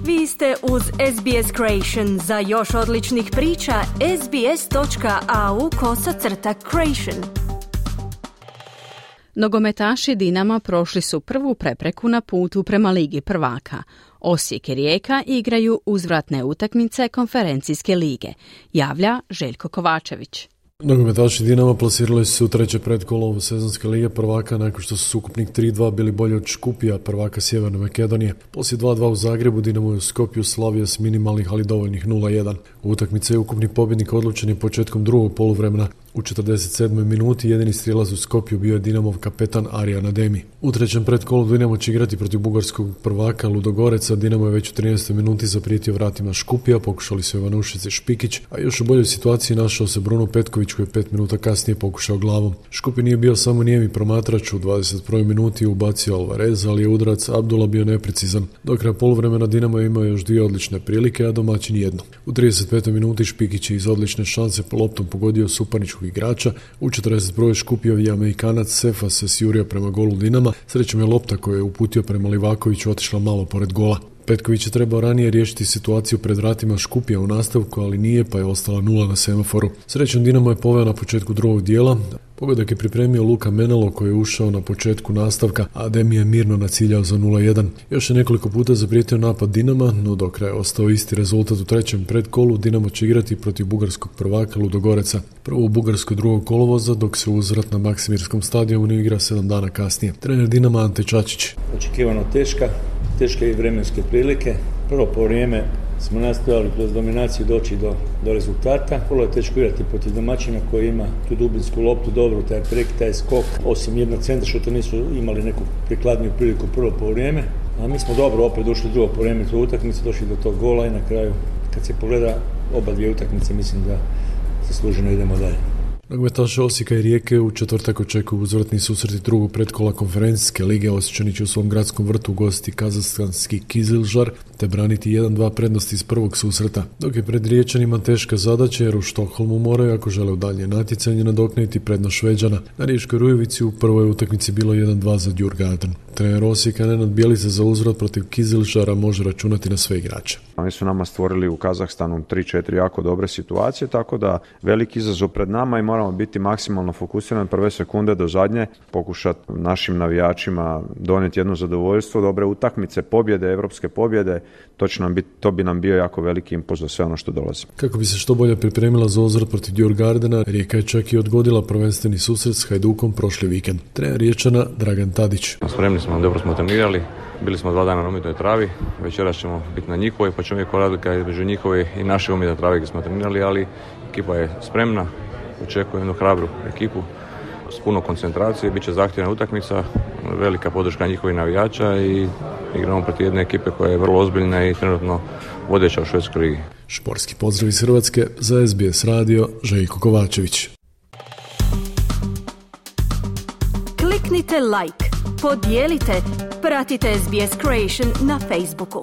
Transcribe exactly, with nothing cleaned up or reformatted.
Vi ste uz S B S Creation. Za još odličnih priča, sbs.au kosacrta creation. Nogometaši Dinama prošli su prvu prepreku na putu prema Ligi prvaka. Osijek i Rijeka igraju uzvratne utakmice konferencijske lige, javlja Željko Kovačević. Nogometaši Dinama plasirali su treće pretkolo sezonske lige prvaka nakon što su s ukupnih tri dva bili bolji od Škupija, prvaka Sjeverne Makedonije. Poslije dva dva u Zagrebu Dinamo je u Skopju slavio s minimalnih ali dovoljnih nula jedan. U utakmici je ukupni pobjednik odlučen je početkom drugog poluvremena. U četrdeset sedmoj minuti jedini strijelac u Skopju bio je Dinamov kapetan Arjan Ademi. U trećem pretkolu Dinamo će igrati protiv bugarskog prvaka Ludogoreca. Dinamo je već u trinaestoj minuti zaprijetio vratima Škupija, pokušali su Ivanušić i Špikić, a još u boljoj situaciji našao se Bruno Petković koji je pet minuta kasnije pokušao glavom. Škupi nije bio samo nijemi promatrač, u dvadeset prvoj minuti ubacio Alvarez, ali je udarac Abdula bio neprecizan. Do kraja poluvremena Dinamo je imao još dvije odlične prilike, a domaćin jednu. U trideset petoj minuti Špikić je iz odlične šanse po loptom pogodio suparničkog igrača. U četrdeset prvoj Škupijev Amerikanac Sefa se sjurio prema golu Dinama. Srećom je lopta koju je uputio prema Livakoviću otišla malo pored gola. Petković je trebao ranije riješiti situaciju pred vratima Škupija u nastavku, ali nije, pa je ostala nula na semaforu. Srećom Dinamo je poveo na početku drugog dijela. Pogodak je pripremio Luka Menelo koji je ušao na početku nastavka, a Ademi je mirno naciljao za nula jedan. Još je nekoliko puta zaprijetio napad Dinama, no do kraja ostao isti rezultat u trećem predkolu. Dinamo će igrati protiv bugarskog prvaka Ludogoreca. Prvo u Bugarskoj drugog kolovoza, dok se uzvrat na Maksimirskom stadionu igra sedam dana kasnije. Trener Dinama Ante Čačić. Očekivano teška, teške i vremenske prilike. Prvo po vrijeme smo nastojali kroz dominaciju doći do, do rezultata. Vrlo je teško igrati protiv domaćina koji ima tu dubinsku loptu, dobro, taj prek, taj skok. Osim jednog centra što nisu imali neku prikladniju priliku prvo po vrijeme. A mi smo dobro opet došli drugo po vrijeme u utakmicu, došli do tog gola i na kraju kad se pogleda oba dvije utakmice mislim da zasluženo idemo dalje. Nogometaši Osijeka i Rijeke u četvrtak očekuju uzvratni susreti drugog pretkola konferencijske lige. Osječani će u svom gradskom vrtu ugostiti kazahstanski Kizilžar te braniti jedan dva prednosti iz prvog susreta. Dok je pred Riječanima teška zadaća jer u Štokholmu moraju, ako žele u dalje natjecanje, nadoknaditi prednost Šveđana. Na Riječkoj Rujevici u prvoj utakmici bilo jedan dva za Djurgården. Trener Osijeka Nenad Bjelica za uzvrat protiv Kizilžara može računati na sve igrače. Oni su nama stvorili u Kazahstanu tri četiri jako dobre situacije, tako da veliki izazov pred nama i moramo biti maksimalno fokusirani prve sekunde do zadnje, pokušati našim navijačima donijeti jedno zadovoljstvo, dobre utakmice, pobjede, evropske pobjede, to, će nam biti, to bi nam bio jako veliki impuls za sve ono što dolazi. Kako bi se što bolje pripremila za uzvrat protiv Djurgårdena, Rijeka je čak i odgodila prvenstveni susret s Hajdukom prošli vikend. Trener Riječana Dragan Tadić. Spremni smo, dobro smo trenirali, bili smo dva dana na umjetnoj travi, večeras ćemo biti na njihovoj, pa ćemo vidjeti koja razlika između njihove i naše umjetne trave gdje smo trenirali, ali ekipa je spremna, očekujem jednu hrabru ekipu s puno koncentracije, bit će zahtjevna utakmica, velika podrška njihovih navijača i igramo protiv jedne ekipe koja je vrlo ozbiljna i trenutno vodeća u švedskoj ligi. Športski pozdrav iz Hrvatske za S B S radio, Željko Kovačević. Kliknite like, podijelite, pratite S B S Creation na Facebooku.